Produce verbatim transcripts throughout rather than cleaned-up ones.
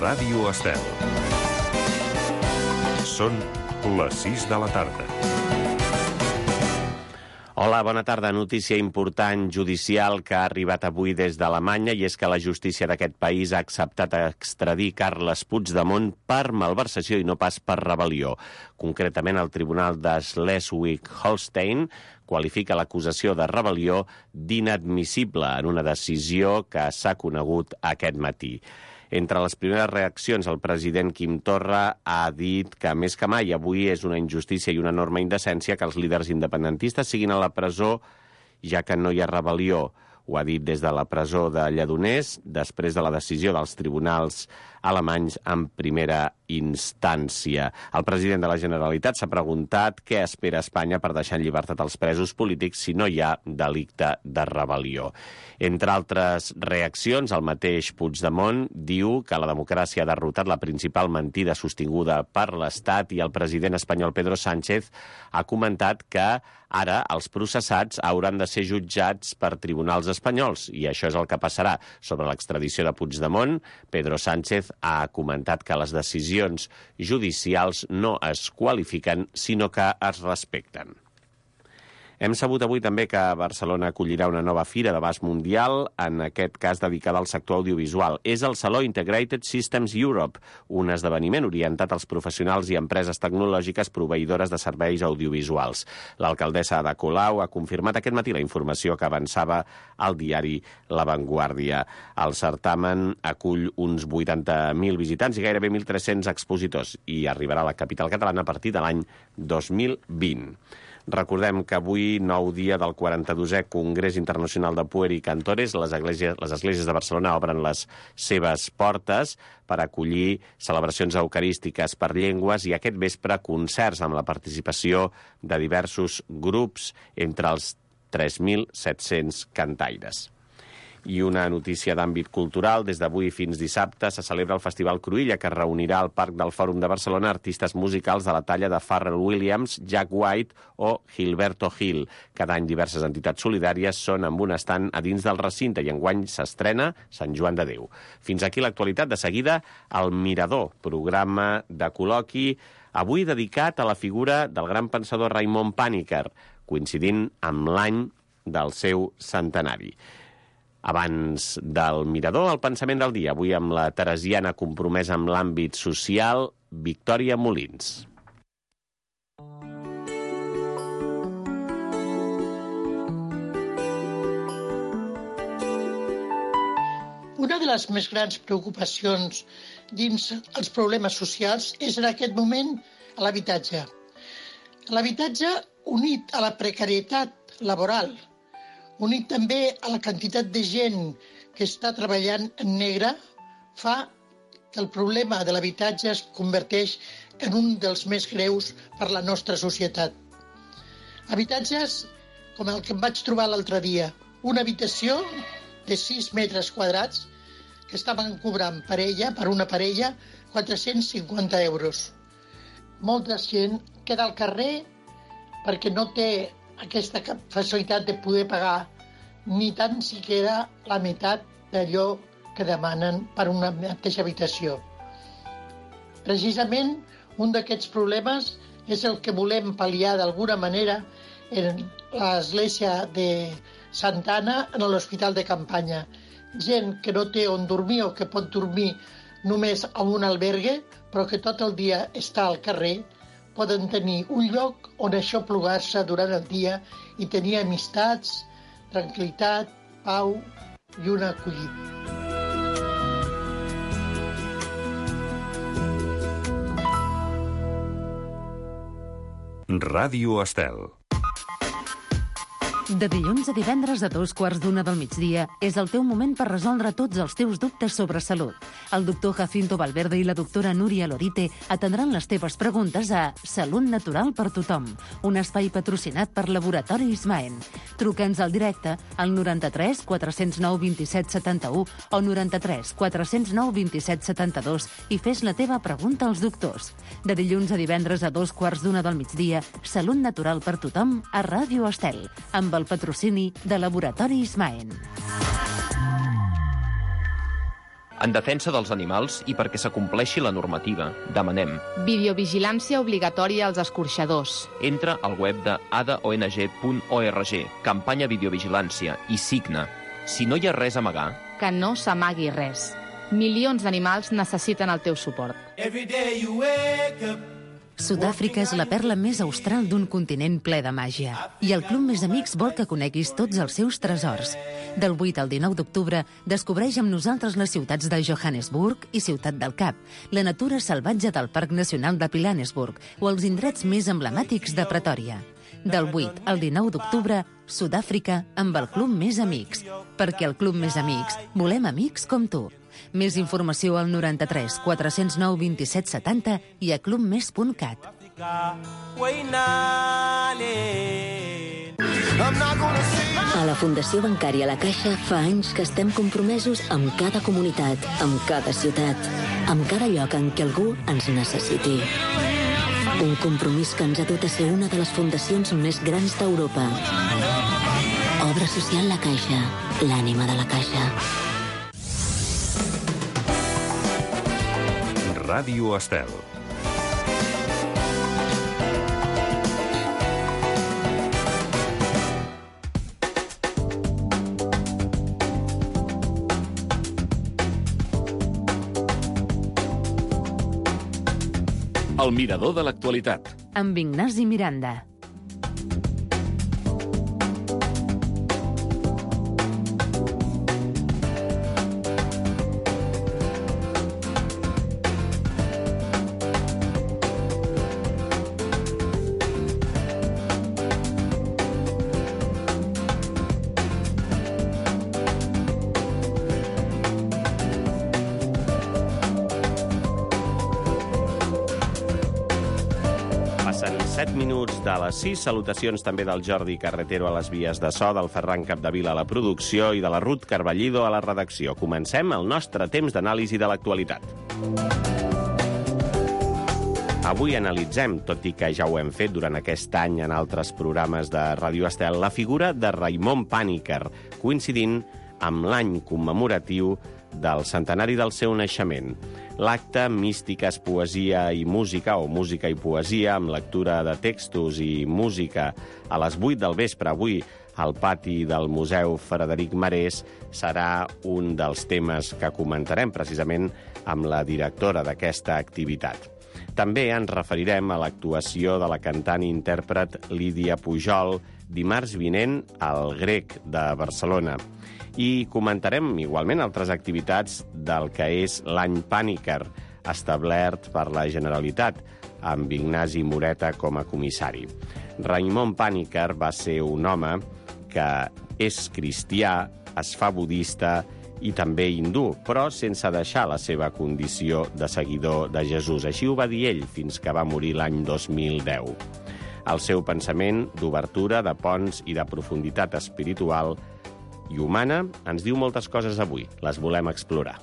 Ràdio Estel. Són les sis de la tarda. Hola, bona tarda. Notícia important judicial que ha arribat avui des d'Alemanya, i és que la justícia d'aquest país ha acceptat extradir Carles Puigdemont per malversació i no pas per rebel·lió. Concretament, el Tribunal de Schleswig-Holstein qualifica l'acusació de rebel·lió d'inadmissible en una decisió que s'ha conegut aquest matí. Entre les primeres reaccions, el president Quim Torra ha dit que més que mai avui és una injustícia i una enorme indecència que els líders independentistes siguin a la presó, ja que no hi ha rebel·lió. Ho ha dit des de la presó de Lledoners, després de la decisió dels tribunals alemanys en primera instància. El president de la Generalitat s'ha preguntat què espera Espanya per deixar en llibertat els presos polítics si no hi ha delicte de rebel·lió. Entre altres reaccions, el mateix Puigdemont diu que la democràcia ha derrotat la principal mentida sostinguda per l'Estat, i el president espanyol Pedro Sánchez ha comentat que ara els processats hauran de ser jutjats per tribunals espanyols, i això és el que passarà. Sobre l'extradició de Puigdemont, Pedro Sánchez ha comentat que les decisions judicials no es qualifiquen, sinó que es respecten. Hem sabut avui també que Barcelona acollirà una nova fira d'abast mundial, en aquest cas dedicada al sector audiovisual. És el Saló Integrated Systems Europe, un esdeveniment orientat als professionals i empreses tecnològiques proveïdores de serveis audiovisuals. L'alcaldessa Ada Colau ha confirmat aquest matí la informació que avançava al diari La Vanguardia. El certamen acull uns vuitanta mil visitants i gairebé mil tres-cents expositors, i arribarà a la capital catalana a partir de l'any dos mil vint. Recordem que avui, nou dia del quaranta-dosè Congrés Internacional de Pueri Cantores, les esglésies, les esglésies de Barcelona obren les seves portes per acollir celebracions eucarístiques per llengües i aquest vespre concerts amb la participació de diversos grups, entre els tres mil set-cents cantaires. I una notícia d'àmbit cultural. Des d'avui fins dissabte se celebra el Festival Cruïlla, que reunirà al Parc del Fòrum de Barcelona artistes musicals de la talla de Pharrell Williams, Jack White o Gilberto Gil. Cada any diverses entitats solidàries són amb un estand a dins del recinte, i enguany s'estrena Sant Joan de Déu. Fins aquí l'actualitat. De seguida, El Mirador, programa de col·loqui, avui dedicat a la figura del gran pensador Raimon Panikkar, coincidint amb l'any del seu centenari. Abans del Mirador, el pensament del dia. Avui amb la teresiana compromesa amb l'àmbit social, Victòria Molins. Una de les més grans preocupacions dins els problemes socials és en aquest moment l'habitatge. L'habitatge, unit a la precarietat laboral, unit també a la quantitat de gent que està treballant en negre, fa que el problema de l'habitatge es converteix en un dels més greus per la nostra societat. Habitatges com el que em vaig trobar l'altre dia, una habitació de sis metres quadrats que estaven cobrant per ella, per una parella, quatre-cents cinquanta euros. Molta gent queda al carrer perquè no té aquesta facilitat de poder pagar ni tan siquiera la meitat d'allò que demanen per una mateixa habitació. Precisament, un d'aquests problemes és el que volem pal·liar d'alguna manera en l'església de Santa Anna, en l'hospital de campanya. Gent que no té on dormir o que pot dormir només en un albergue, però que tot el dia està al carrer, poden tenir un lloc on aixoplugar-se durant el dia i tenir amistats, tranquil·litat, pau i una acollida. Ràdio Estel. De dilluns a divendres a dos quarts d'una del migdia és el teu moment per resoldre tots els teus dubtes sobre salut. El doctor Jacinto Valverde i la doctora Núria Lorite atendran les teves preguntes a Salut Natural per Tothom, un espai patrocinat per Laboratori Ismaen. Truca'ns al directe al noranta-tres quatre zero nou vint-i-set setanta-u o noranta-tres quatre zero nou vint-i-set setanta-dos i fes la teva pregunta als doctors. De dilluns a divendres a dos quarts d'una del migdia, Salut Natural per Tothom a Ràdio Estel, amb el patrocini de Laboratori Ismaen. En defensa dels animals i perquè s'acompleixi la normativa, demanem videovigilància obligatòria als escorxadors. entra al web de a d o n g punt org, campanya videovigilància, i signa. Si no hi ha res a amagar, Que no s'amagui res. Milions d'animals necessiten el teu suport. Sud-àfrica és la perla més austral d'un continent ple de màgia. I el Club Més Amics vol que coneguis tots els seus tresors. Del vuit al dinou d'octubre, descobreix amb nosaltres les ciutats de Johannesburg i Ciutat del Cap, la natura salvatge del Parc Nacional de Pilanesburg o els indrets més emblemàtics de Pretòria. Del vuit al dinou d'octubre, Sud-àfrica amb el Club Més Amics. Perquè al Club Més Amics volem amics com tu. Més informació al noranta-tres quatre zero nou vint set setanta i a clubmes punt cat. A la Fundació Bancària La Caixa fa anys que estem compromesos amb cada comunitat, amb cada ciutat, amb cada lloc en què algú ens necessiti. Un compromís que ens ha dut a ser una de les fundacions més grans d'Europa. Obra social La Caixa, l'ànima de la Caixa. Ràdio Estel. El mirador de l'actualitat. Amb Ignasi Miranda. set minuts de les sis. Salutacions també del Jordi Carretero a les vies de so, del Ferran Capdevila a la producció i de la Ruth Carballido a la redacció. Comencem el nostre temps d'anàlisi de l'actualitat. Avui analitzem, tot i que ja ho hem fet durant aquest any en altres programes de Ràdio Estel, la figura de Raimon Panikkar, coincidint amb l'any commemoratiu del centenari del seu naixement. L'acte Místiques, Poesia i Música, o Música i Poesia, amb lectura de textos i música a les vuit del vespre avui al pati del Museu Frederic Marès, serà un dels temes que comentarem precisament amb la directora d'aquesta activitat. També ens referirem a l'actuació de la cantant i intèrpret Lídia Pujol dimarts vinent al Grec de Barcelona. I comentarem igualment altres activitats del que és l'any Panikkar, establert per la Generalitat, amb Ignasi Moreta com a comissari. Raimon Panikkar va ser un home que és cristià, es fa budista i també hindú, però sense deixar la seva condició de seguidor de Jesús. Així ho va dir ell fins que va morir l'any dos mil deu. El seu pensament d'obertura, de ponts i de profunditat espiritual i humana ens diu moltes coses avui. Les volem explorar.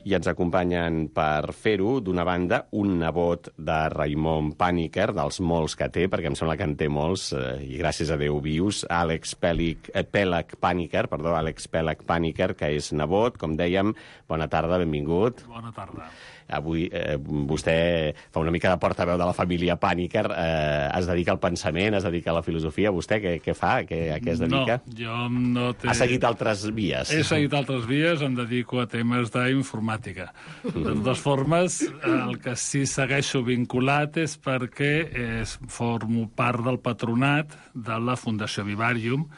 I ens acompanyen per fer-ho, d'una banda, un nebot de Raimon Panikkar, dels molts que té, perquè em sembla que en té molts, eh, i gràcies a Déu vius, Àlex Pèlic, eh, Pèlac Panikkar, perdó, Àlex Pèlac Panikkar, que és nebot, com dèiem. Bona tarda, benvingut. Bona tarda. Avui eh, vostè fa una mica de portaveu de la família Panikkar, eh, es dedica al pensament, es dedica a la filosofia. Vostè què, què fa? Què, a què es dedica? No, jo no té... Ha seguit altres vies. He seguit altres vies, em dedico a temes d'informàtica. De totes formes, el que sí segueixo vinculat és perquè és, formo part del patronat de la Fundació Vivarium,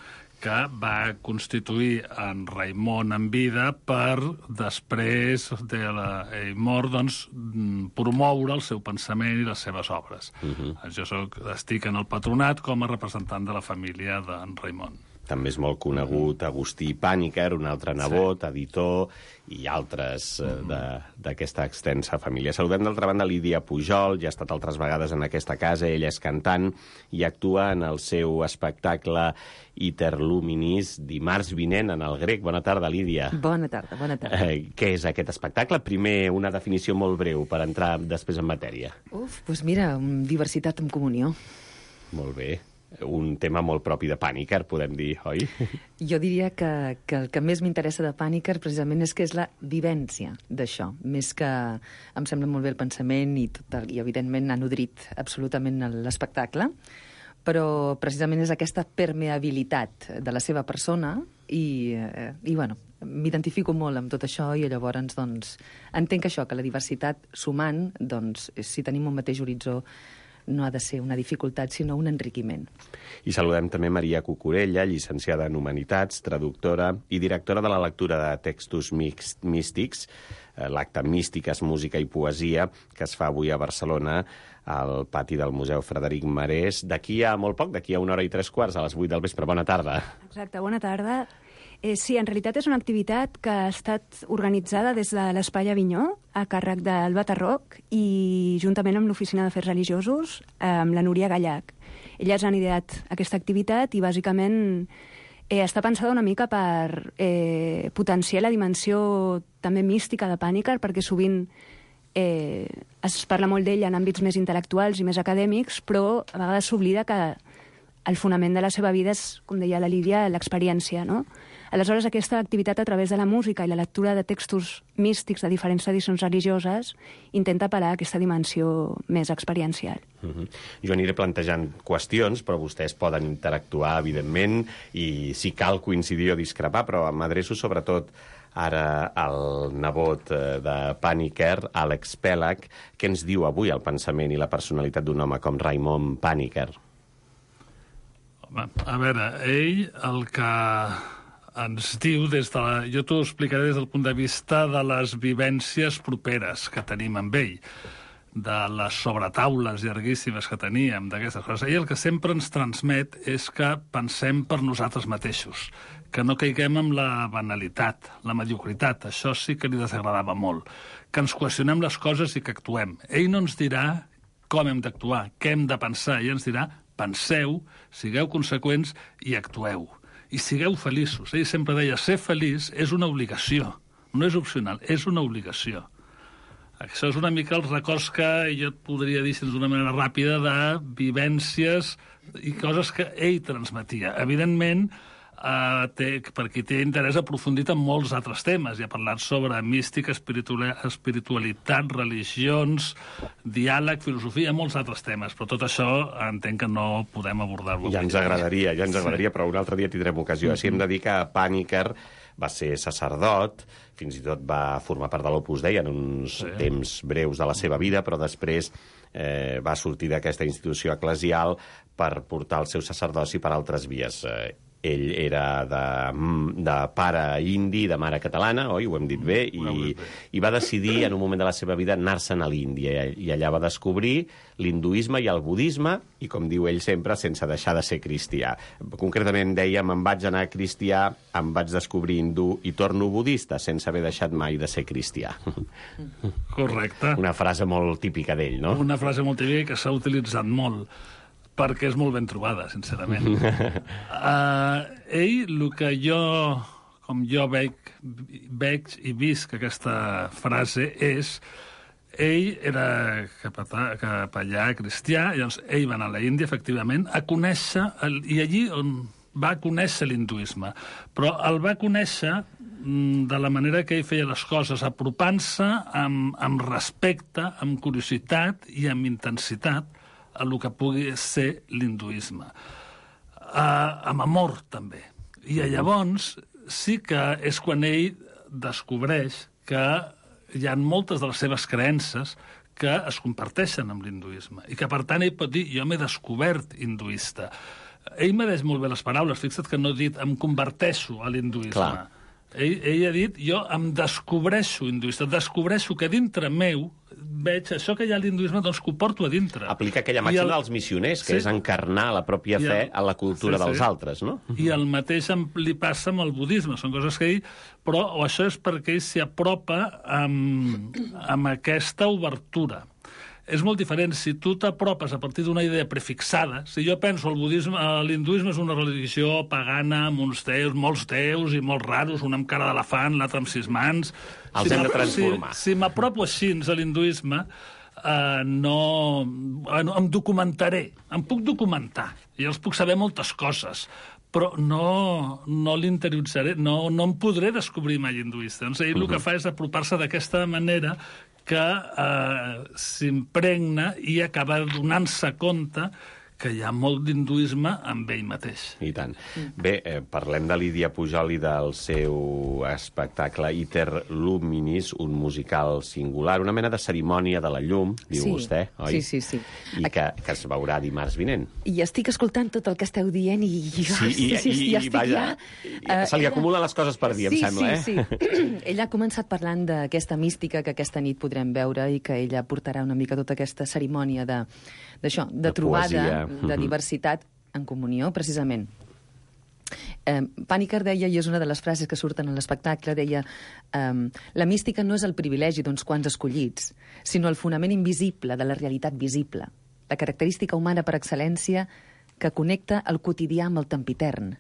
que va constituir en Raimon en vida per, després de la mort, doncs, promoure el seu pensament i les seves obres. Uh-huh. Jo soc, estic en el patronat com a representant de la família d'en Raimon. També és molt conegut Agustí Panikkar, un altre nebot, sí, editor, i altres eh, d'aquesta extensa família. Saludem d'altra banda Lídia Pujol, ja ha estat altres vegades en aquesta casa, ella és cantant i actua en el seu espectacle Iterluminis dimarts vinent en el Grec. Bona tarda, Lídia. Bona tarda, bona tarda. Eh, què és aquest espectacle? Primer, una definició molt breu per entrar després en matèria. Uf, doncs mira, diversitat en comunió. Molt bé. un tema molt propi de Panikkar, podem dir, oi? Jo diria que, que el que més m'interessa de Panikkar precisament és que és la vivència d'això, més que em sembla molt bé el pensament i, tot, i evidentment ha nodrit absolutament l'espectacle, però precisament és aquesta permeabilitat de la seva persona i, eh, i bueno, m'identifico molt amb tot això i llavors doncs, entenc que això, que la diversitat sumant, doncs, si tenim un mateix horitzó, no ha de ser una dificultat, sinó un enriquiment. I saludem també Maria Cucurella, llicenciada en Humanitats, traductora i directora de la lectura de textos místics, l'acte Místiques, Música i Poesia, que es fa avui a Barcelona, al pati del Museu Frederic Marès. D'aquí a molt poc, d'aquí a una hora i tres quarts, a les vuit del vespre. Bona tarda. Exacte, bona tarda. Eh, sí, en realitat és una activitat que ha estat organitzada des de l'Espai Avinyó, a càrrec d'Alba Tarroc, i juntament amb l'Oficina d'Afers Religiosos, amb la Núria Gallac. Elles han ideat aquesta activitat i, bàsicament, eh, està pensada una mica per eh, potenciar la dimensió també mística de Panikkar, perquè sovint eh, es parla molt d'ell en àmbits més intel·lectuals i més acadèmics, però a vegades s'oblida que el fonament de la seva vida és, com deia la Lídia, l'experiència, no? Aleshores, aquesta activitat a través de la música i la lectura de textos místics de diferents tradicions religioses intenta apel·lar a aquesta dimensió més experiencial. Uh-huh. Jo aniré plantejant qüestions, però vostès poden interactuar, evidentment, i si cal coincidir o discrepar, però m'adreço sobretot ara al nebot de Panikkar, Àlex Pelag. Què ens diu avui el pensament i la personalitat d'un home com Raimon Panikkar? Home, a veure, ell el que ens diu des de la... Jo t'ho explicaré des del punt de vista de les vivències properes que tenim amb ell, de les sobretaules llarguíssimes que teníem, d'aquestes coses. Ell el que sempre ens transmet és que pensem per nosaltres mateixos, que no caiguem en la banalitat, la mediocritat. Això sí que li desagradava molt. Que ens qüestionem les coses i que actuem. Ell no ens dirà com hem d'actuar, què hem de pensar. Ell ens dirà, penseu, sigueu conseqüents i actueu. I sigueu feliços. Ell sempre deia, ser feliç és una obligació. No és opcional, és una obligació. Això és una mica els records que jo et podria dir d'una manera ràpida de vivències i coses que ell transmetia. Evidentment, Uh, té, per qui té interès aprofundit en molts altres temes. I ha parlat sobre mística, espiritualitat, religions, diàleg, filosofia, molts altres temes. Però tot això entenc que no podem abordar-lo. Ja ens agradaria, ja ens agradaria, però un altre dia tindrem ocasió. Així hem de dir que Panikkar va ser sacerdot, fins i tot va formar part de l'Opus Dei en uns sí. temps breus de la seva vida, però després eh, va sortir d'aquesta institució eclesial per portar el seu sacerdoci per altres vies. Eh, ell era de, de pare indi, de mare catalana, oi? Ho hem dit bé, i, i va decidir en un moment de la seva vida anar-se'n a l'Índia, i allà va descobrir l'hinduisme i el budisme, i com diu ell sempre, sense deixar de ser cristià. Concretament deia, me'n vaig anar cristià, em vaig descobrir hindú i torno budista, sense haver deixat mai de ser cristià. Correcte. Una frase molt típica d'ell, no? Una frase molt típica que s'ha utilitzat molt, perquè és molt ben trobada, sincerament. uh, ell, el que jo, com jo veig, veig i visc aquesta frase és, ell era capellà cristià, llavors ell va anar a la Índia, efectivament, a conèixer, el, i allí on va conèixer l'hinduisme, però el va conèixer de la manera que ell feia les coses, apropant-se amb, amb respecte, amb curiositat i amb intensitat a el que pugui ser l'hinduisme. Uh, amb amor, també. I llavors sí que és quan ell descobreix que hi ha moltes de les seves creences que es comparteixen amb l'hinduisme i que, per tant, ell pot dir, jo m'he descobert hinduista. Ell mereix molt bé les paraules, fixa't que no ha dit em converteixo a l'hinduisme. Clar. Ell, ell ha dit, jo em descobreixo hinduista, descobreixo que dintre meu veig això que hi ha a l'hinduisme, doncs que ho porto a dintre. Aplica aquella màxima el... dels missioners, que sí. és encarnar la pròpia fe el... a la cultura sí, sí. dels altres, no? I el mateix li passa amb el budisme, són coses que ell... Però això és perquè ell s'hi apropa amb, amb aquesta obertura. És molt diferent. Si tu t'apropes a partir d'una idea prefixada, si jo penso el budisme, l'hinduisme és una religió pagana, amb uns déus, molts déus i molts raros, un amb cara d'elefant, l'altre amb sis mans... Els si hem de transformar. Si, si m'apropo així a l'hinduisme, eh, no... Bueno, em documentaré, em puc documentar, i els puc saber moltes coses, però no, no l'interioritzaré, no, no em podré descobrir mai hinduista. Doncs ell el que fa és apropar-se d'aquesta manera que eh, s'impregna i acaba donant-se compte que hi ha molt d'hinduisme amb ell mateix. I tant. Bé, eh, parlem de Lídia Pujol i del seu espectacle Iter Luminis, un musical singular, una mena de cerimònia de la llum, diu sí. vostè, oi? Sí, sí, sí. I que, que es veurà dimarts vinent. I estic escoltant tot el que esteu dient i jo Sí, i, sí, sí, i, ja estic vaja, ja... se li acumulen les coses per dir, sí, em sembla, sí, eh? Sí, sí. Ella ha començat parlant d'aquesta mística que aquesta nit podrem veure i que ella portarà una mica tota aquesta cerimònia de, d'això, de, de trobada, poesia. De diversitat en comunió, precisament. Eh, Panikkar deia, i és una de les frases que surten en l'espectacle, deia eh, la mística no és el privilegi d'uns quants escollits, sinó el fonament invisible de la realitat visible, la característica humana per excel·lència que connecta el quotidià amb el tempitern.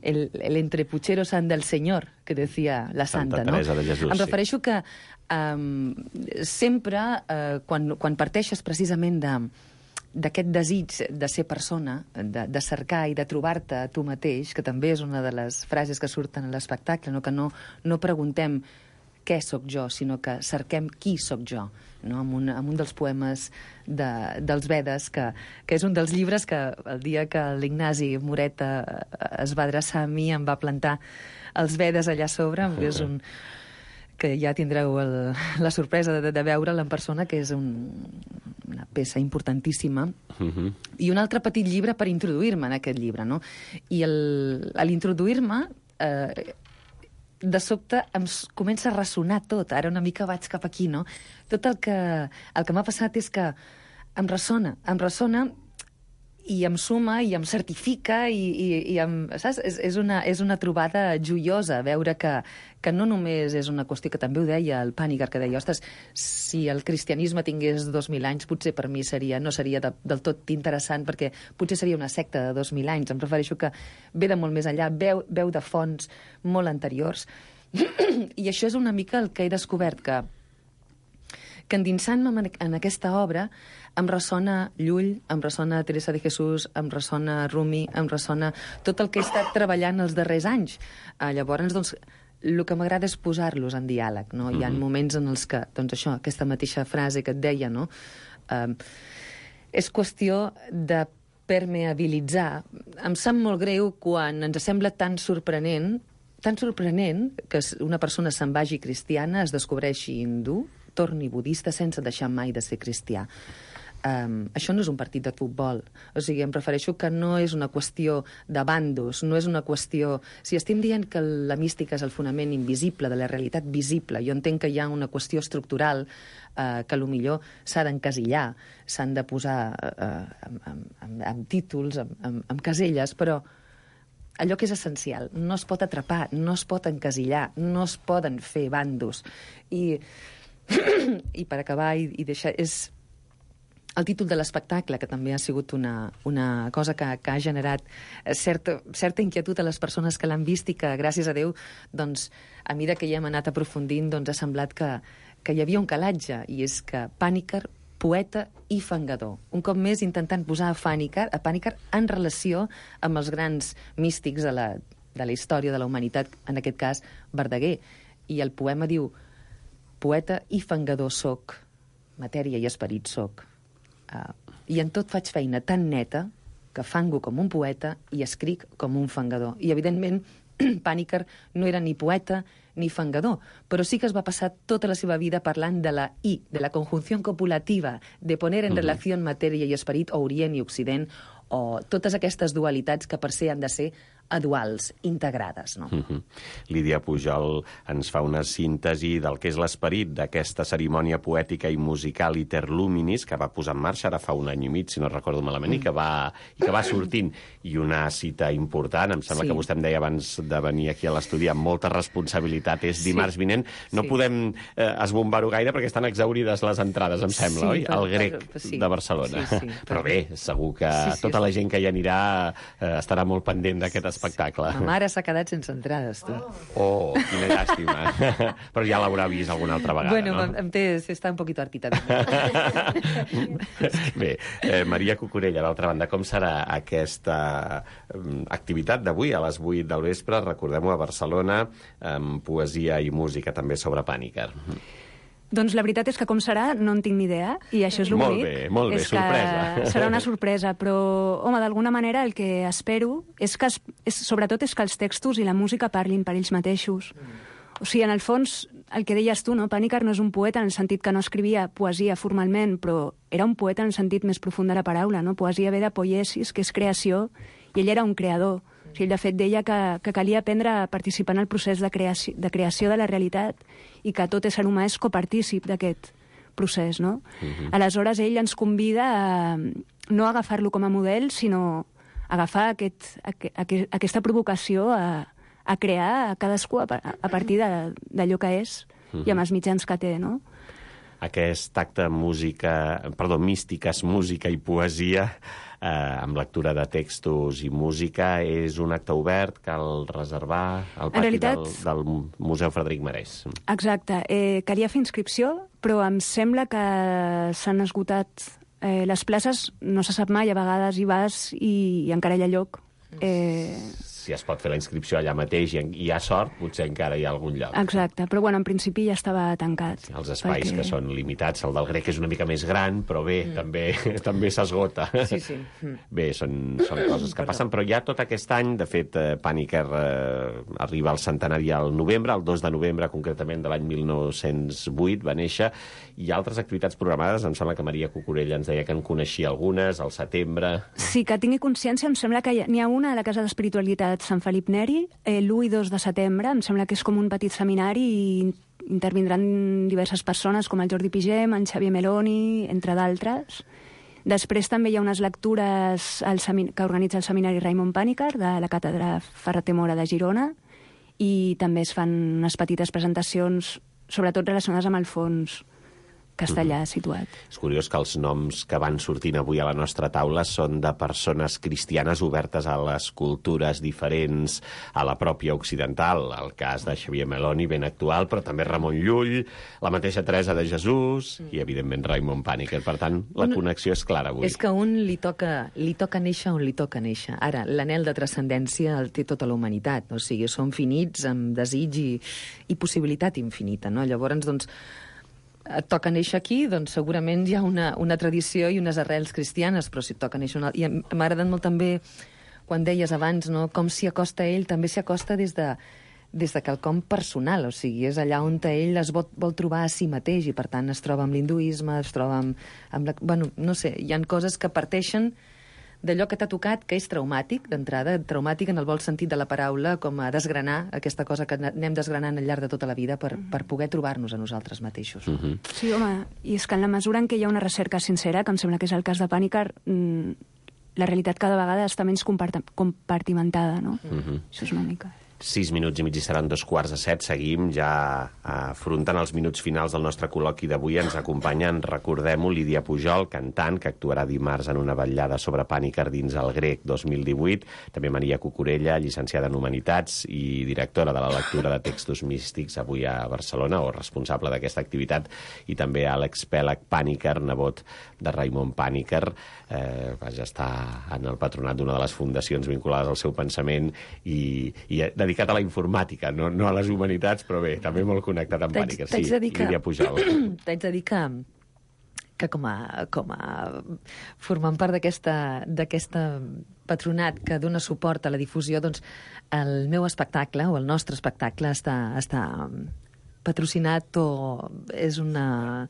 El, el entrepuchero sant del Senyor, que decía la santa, Santa Teresa no? de Jesús, em sí. refereixo que um, sempre, uh, quan, quan parteixes precisament de d'aquest desig de ser persona, de, de cercar i de trobar-te a tu mateix, que també és una de les frases que surten a l'espectacle, no? Que no, no preguntem què sóc jo, sinó que cerquem qui sóc jo, no? Amb, un, amb un dels poemes de, dels Vedes, que, que és un dels llibres que el dia que l'Ignasi Moreta es va adreçar a mi em va plantar els Vedes allà a sobre, que és un... que ja tindreu el, la sorpresa de, de veure'l en persona, que és un, una peça importantíssima. Uh-huh. I un altre petit llibre per introduir-me en aquest llibre, no? I el, a l'introduir-me, eh, de sobte em comença a ressonar tot. Ara una mica vaig cap aquí, no? Tot el que, el que m'ha passat és que em ressona, em ressona i em suma i em certifica i, i, i em, saps? És, és, una, és una trobada joiosa veure que, que no només és una qüestió, que també ho deia el Panikkar, que deia, ostres, si el cristianisme tingués dos mil anys, potser per mi seria, no seria de, del tot interessant, perquè potser seria una secta de dos mil anys. Em refereixo que ve de molt més enllà, veu, veu de fonts molt anteriors. I això és una mica el que he descobert, que que endinsant-me en aquesta obra em ressona Llull, em ressona Teresa de Jesús, em ressona Rumi, em ressona tot el que he estat treballant els darrers anys. Uh, llavors, doncs, el que m'agrada és posar-los en diàleg, no? Mm-hmm. Hi ha moments en els que, doncs això, aquesta mateixa frase que et deia, no? Uh, és qüestió de permeabilitzar. Em sap molt greu quan ens sembla tan sorprenent, tan sorprenent que una persona se'n vagi cristiana, es descobreixi hindú, torni budista sense deixar mai de ser cristià. Um, això no és un partit de futbol. O sigui, em refereixo que no és una qüestió de bandos, no és una qüestió... Si estem dient que la mística és el fonament invisible de la realitat visible, jo entenc que hi ha una qüestió estructural uh, que potser s'ha d'encasillar, s'han de posar uh, amb, amb, amb, amb títols, amb, amb, amb caselles, però allò que és essencial no es pot atrapar, no es pot encasillar, no es poden fer bandos. I... I per acabar i, i deixar... És el títol de l'espectacle, que també ha sigut una, una cosa que, que ha generat certa, certa inquietud a les persones que l'han vist i que, gràcies a Déu, doncs, a mesura que hi hem anat aprofundint, doncs, ha semblat que, que hi havia un calatge, i és que Panikkar, poeta i fangador. Un cop més intentant posar a Panikkar, a Panikkar en relació amb els grans místics de la, de la història de la humanitat, en aquest cas, Verdaguer. I el poema diu: poeta i fangador soc, matèria i esperit soc. Uh, I en tot faig feina tan neta que fango com un poeta i escric com un fangador. I, evidentment, Panikkar no era ni poeta ni fangador, però sí que es va passar tota la seva vida parlant de la I, de la conjunció copulativa, de poner en relació matèria i esperit, o Orient i Occident, o totes aquestes dualitats que per ser han de ser aduals, integrades, no? Uh-huh. Lídia Pujol ens fa una síntesi del que és l'esperit d'aquesta cerimònia poètica i musical Iter Luminis, que va posar en marxa ara fa un any i mig, si no recordo malament, mm. i, que va, i que va sortint. I una cita important, em sembla sí. que vostè em deia abans de venir aquí a l'estudi, amb molta responsabilitat, és sí. dimarts vinent. No sí. podem eh, esbombar-ho gaire perquè estan exaurides les entrades, em sembla, sí, oi? Per, el Grec per, sí. de Barcelona. Sí, sí, però bé, segur que sí, sí, tot tota la gent que hi anirà eh, estarà molt pendent d'aquest espectacle. Ma mare s'ha quedat sense entrades, tu. Oh, quina llàstima. Però ja l'haurà vist alguna altra vegada, bueno, no? Bueno, em té... Està un poquito hartita. Bé, eh, Maria Cucurella, d'altra banda, com serà aquesta eh, activitat d'avui a les vuit del vespre? Recordem-ho, a Barcelona, amb poesia i música també sobre Pàniker. Doncs la veritat és que com serà no en tinc ni idea, i això és el molt bonic. Bé, molt bé, és sorpresa. Serà una sorpresa, però, home, d'alguna manera el que espero és que, es, és, sobretot, és que els textos i la música parlin per ells mateixos. O sigui, en el fons, el que deies tu, no? Pàniker no és un poeta en el sentit que no escrivia poesia formalment, però era un poeta en el sentit més profund de la paraula, no? Poesia ve de poiesis, que és creació, i ell era un creador. O sigui, de fet, deia que, que calia aprendre a participar en el procés de creació, de creació de la realitat i que tot ésser humà és copartícip d'aquest procés, no? Uh-huh. Aleshores, ell ens convida a no agafar-lo com a model, sinó agafar aquest, aquest, aquesta provocació a, a crear a cadascú a, a partir d'allò que és uh-huh. i amb els mitjans que té, no? Aquest acte música, perdó, místiques, música i poesia, eh, amb lectura de textos i música, és un acte obert, cal reservar al pati realitat... del, del Museu Frederic Marès. Exacte. Eh, calia fer inscripció, però em sembla que s'han esgotat eh, les places, no se sap mai, a vegades hi vas i, i encara hi ha lloc. Eh... Si es pot fer la inscripció allà mateix i hi ha sort, potser encara hi ha algun lloc. Exacte, però bueno, en principi ja estava tancat. Sí, els espais perquè... que són limitats, el del Grec és una mica més gran, però bé, mm. també també s'esgota. Sí, sí. Mm. Bé, són, són coses que passen, però ja tot aquest any, de fet, eh, Pàniker eh, arriba al centenari al novembre, el dos de novembre, concretament, de l'any mil nou-cents vuit, va néixer, i altres activitats programades, em sembla que Maria Cucurella ens deia que en coneixia algunes, al setembre... Sí, que tingui consciència, em sembla que n'hi ha una a la Casa d'Espiritualitat Sant Felip Neri, eh, l'u i dos de setembre, em sembla que és com un petit seminari i intervindran diverses persones com el Jordi Pigem, en Xavier Meloni, entre d'altres. Després també hi ha unes lectures al semin... que organitza el seminari Raimon Pàniker de la càtedra Ferrater Mora de Girona i també es fan unes petites presentacions, sobretot relacionades amb el fons castellà mm-hmm. situat. És curiós que els noms que van sortint avui a la nostra taula són de persones cristianes obertes a les cultures diferents, a la pròpia occidental, el cas de Xavier Meloni, ben actual, però també Ramon Llull, la mateixa Teresa de Jesús mm. i, evidentment, Raimon Pàniker. Per tant, la un... connexió és clara avui. És que un li toca, li toca néixer on li toca néixer. Ara, l'anhel de transcendència el té tota la humanitat, o sigui, som finits amb desig i, i possibilitat infinita, no? Llavors, doncs, et toca néixer aquí, doncs segurament hi ha una, una tradició i unes arrels cristianes, però si et toca néixer una... I m'ha agradat molt també, quan deies abans, no? Com s'hi acosta ell, també s'hi acosta des de, des de quelcom personal, o sigui, és allà on ell es vol, vol trobar a si mateix, i per tant es troba amb l'hinduisme, es troba amb... amb la... Bueno, no sé, hi ha coses que parteixen d'allò que t'ha tocat, que és traumàtic, d'entrada, traumàtic en el bon sentit de la paraula, com a desgranar aquesta cosa que anem desgranant al llarg de tota la vida per, per poder trobar-nos a nosaltres mateixos. Uh-huh. Sí, home, i és que en la mesura en què hi ha una recerca sincera, que em sembla que és el cas de Pàniker, mmm, la realitat cada vegada està menys compartimentada, no? Uh-huh. Això és una mica... Sis minuts i mig i seran dos quarts de set. Seguim ja afrontant els minuts finals del nostre col·loqui d'avui. Ens acompanyen, recordem-ho, Lídia Pujol, cantant, que actuarà dimarts en una vetllada sobre Pàniker dins el Grec dos mil divuit. També Maria Cucurella, llicenciada en Humanitats i directora de la lectura de textos místics avui a Barcelona, o responsable d'aquesta activitat. I també Àlex Pèlag Pàniker, nebot de Raimon Pàniker. Eh, vaja, està en el patronat d'una de les fundacions vinculades al seu pensament i, i dedicat a la informàtica, no, no a les humanitats, però bé, també molt connectat amb Pàniker. Sí, Lídia Pujol. T'haig de dir que, que com, a, com a formant part d'aquesta patronat que dona suport a la difusió, doncs el meu espectacle, o el nostre espectacle, està, està patrocinat o és una,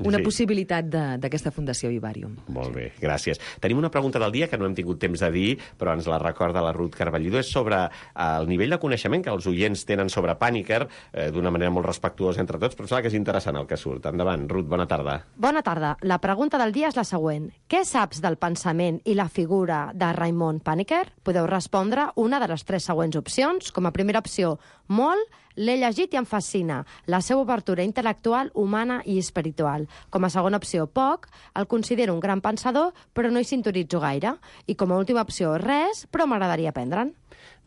una sí. possibilitat d'aquesta Fundació Vivarium. Molt bé, gràcies. Tenim una pregunta del dia que no hem tingut temps de dir, però ens la recorda la Ruth Carballido. És sobre el nivell de coneixement que els oients tenen sobre Pàniker, eh, d'una manera molt respectuosa entre tots, però sembla que és interessant el que surt. Endavant, Ruth, bona tarda. Bona tarda. La pregunta del dia és la següent. Què saps del pensament i la figura de Raimon Pàniker? Podeu respondre una de les tres següents opcions. Com a primera opció, molt, L'he llegit i em fascina. La seva obertura intel·lectual, humana i espiritual. Com a segona opció, poc. El considero un gran pensador, però no hi sintonitzo gaire. I com a última opció, res, però m'agradaria aprendre'n.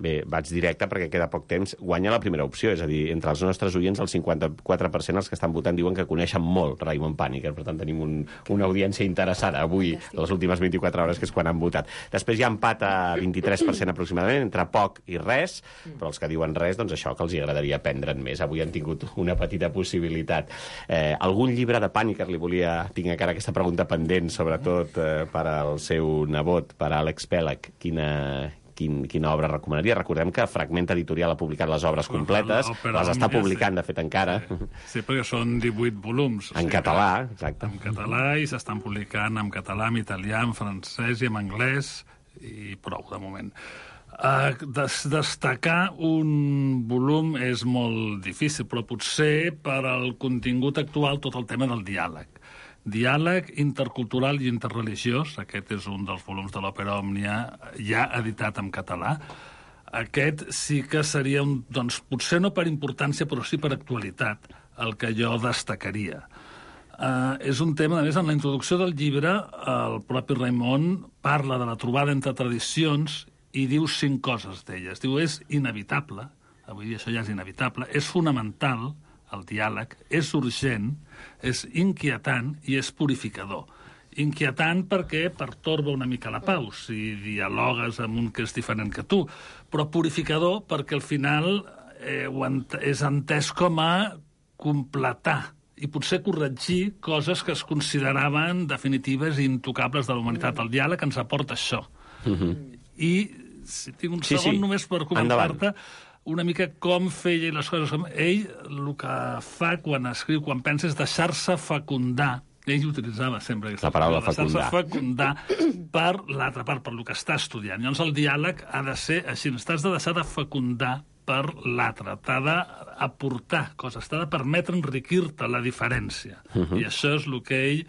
Bé, vaig directe perquè queda poc temps. Guanya la primera opció, és a dir, entre els nostres oients, el cinquanta-quatre per cent els que estan votant diuen que coneixen molt Raimon Panikkar, per tant tenim un, una audiència interessada avui, les últimes vint-i-quatre hores, que és quan han votat. Després hi ha empat a vint-i-tres per cent aproximadament, entre poc i res, però els que diuen res, doncs això, que els agradaria aprendre'n més. Avui han tingut una petita possibilitat. Eh, algun llibre de Panikkar li volia... Tinc encara aquesta pregunta pendent, sobretot eh, per al seu nebot, per a Àlex Pèlag. Quina... Quin, quina obra recomanaria? Recordem que Fragment Editorial ha publicat les obres completes, les està publicant, de fet, encara. Sí, sí, perquè són divuit volums. En català, exacte. En català, i s'estan publicant en català, en italià, en francès i en anglès, i prou, de moment. Uh, des destacar un volum és molt difícil, però potser per al contingut actual tot el tema del diàleg. Diàleg intercultural i interreligiós, aquest és un dels volums de l'Òpera Òmnia ja editat en català. Aquest sí que seria, un, doncs, potser no per importància, però sí per actualitat, el que jo destacaria. Uh, és un tema, a més, en la introducció del llibre, el propi Raimon parla de la trobada entre tradicions i diu cinc coses d'elles. Diu, és inevitable, avui dia això ja és inevitable, és fonamental, el diàleg, és urgent, és inquietant i és purificador. Inquietant perquè pertorba una mica la pau, si dialogues amb un que és diferent que tu, però purificador perquè al final eh, ent és entès com a completar i potser corregir coses que es consideraven definitives i intocables de la humanitat. El diàleg ens aporta això. Mm-hmm. I si tinc un sí, segon sí. només per comentar-te una mica com feia les coses. Ell el que fa quan escriu, quan pensa, és deixar-se fecundar. Ell utilitzava sempre aquesta la paraula fecundar. Deixar-se fecundar per l'altra part, per el que està estudiant. Llavors el diàleg ha de ser així. T'has de deixar de fecundar per l'altre. T'ha d'aportar coses. T'ha de permetre enriquir-te la diferència. Uh-huh. I això és el que ell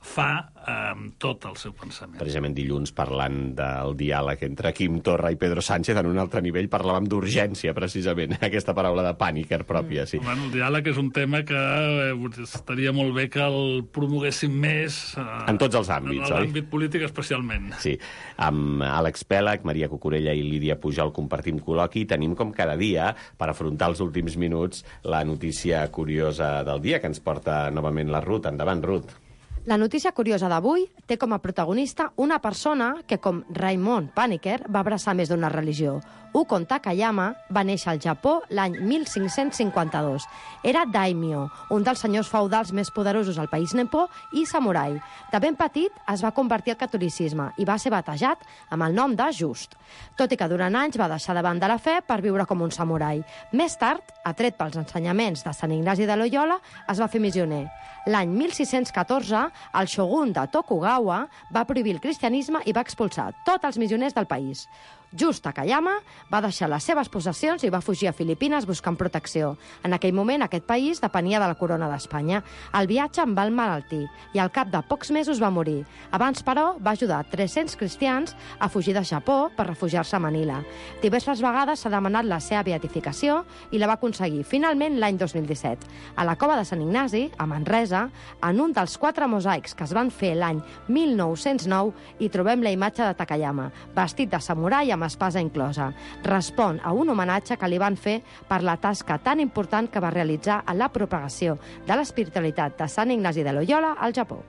fa eh, tot el seu pensament. Precisament dilluns, parlant del diàleg entre Quim Torra i Pedro Sánchez, en un altre nivell parlàvem d'urgència, precisament, aquesta paraula de Panikkar pròpia, sí. Bueno, el diàleg és un tema que eh, estaria molt bé que el promoguéssim més... Eh, en tots els àmbits, en oi? En l'àmbit polític, especialment. Sí. Amb Àlex Pèlag, Maria Cucurella i Lídia Pujol compartim col·loqui i tenim, com cada dia, per afrontar els últims minuts, la notícia curiosa del dia, que ens porta novament la Ruth. Endavant, Ruth. La notícia curiosa d'avui té com a protagonista una persona que, com Raimon Panikkar, va abraçar més d'una religió. Ukon Takayama va néixer al Japó l'any mil cinc-cents cinquanta-dos. Era daimyo, un dels senyors feudals més poderosos al país nipó i samurai. De ben petit es va convertir al catolicisme i va ser batejat amb el nom de Just. Tot i que durant anys va deixar de banda la fe per viure com un samurai. Més tard, atret pels ensenyaments de Sant Ignasi de Loyola, es va fer missioner. L'any mil sis-cents catorze, el shogun de Tokugawa va prohibir el cristianisme i va expulsar tots els missioners del país. Just Takayama va deixar les seves possessions i va fugir a Filipines buscant protecció. En aquell moment, aquest país depenia de la corona d'Espanya. El viatge en va emmalaltir i al cap de pocs mesos va morir. Abans, però, va ajudar tres-cents cristians a fugir de Japó per refugiar-se a Manila. Diverses vegades s'ha demanat la seva beatificació i la va aconseguir finalment l'any dos mil disset. A la cova de Sant Ignasi, a Manresa, en un dels quatre mosaics que es van fer l'any mil nou-cents nou, hi trobem la imatge de Takayama, vestit de samurai amb espasa inclosa. Respon a un homenatge que li van fer per la tasca tan important que va realitzar en la propagació de l'espiritualitat de Sant Ignasi de Loyola al Japó.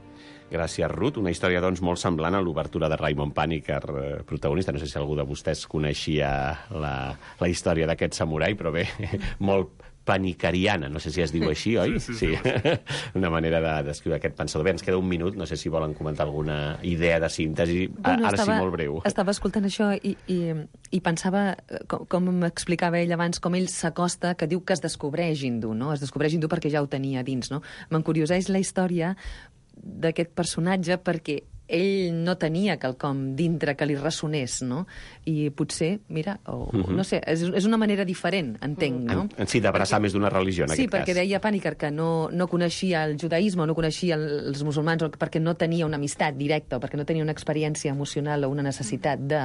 Gràcies, Ruth. Una història, doncs, molt semblant a l'obertura de Raimon Panikkar, eh, protagonista. No sé si algú de vostès coneixia la, la història d'aquest samurai, però bé, molt panikkariana, no sé si es diu així, oi? Sí, sí, sí. sí. Una manera de descriure aquest pensador. Bé, ens queda un minut, no sé si volen comentar alguna idea de síntesi. Bueno, Ara estava, sí, molt breu. Estava escoltant això i, i, i pensava, com, com m'explicava ell abans, com ell s'acosta, que diu que es descobreix hindú, no? Es descobreix hindú perquè ja ho tenia dins, no? M'encurioseix la història d'aquest personatge perquè ell no tenia quelcom dintre que li ressonés, no? I potser, mira, o, uh-huh. no sé, és, és una manera diferent, entenc, no? En, en sí, d'abraçar més d'una religió, en sí, aquest cas. Sí, perquè deia Panikkar que no, no coneixia el judaïsme, no coneixia els musulmans, perquè no tenia una amistat directa, o perquè no tenia una experiència emocional o una necessitat de...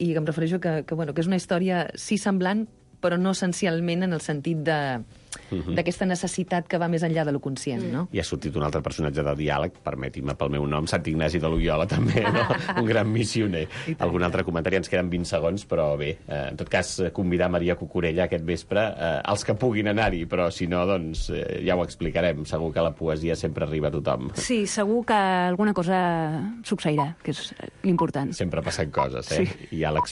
I em refereixo que, que, bueno, que és una història, sí, semblant, però no essencialment en el sentit de d'aquesta necessitat que va més enllà de lo conscient, no? I ha sortit un altre personatge de diàleg, permeti-me pel meu nom, Sant Ignasi de Loyola, també, no? Un gran missioner. Algun altre comentari? Ens queden vint segons, però bé, eh, en tot cas, convidar Maria Cucurella aquest vespre, eh, els que puguin anar-hi, però si no, doncs, eh, ja ho explicarem. Segur que la poesia sempre arriba a tothom. Sí, segur que alguna cosa succeirà, que és l'important. Sempre passen coses, eh? Sí. I Àlex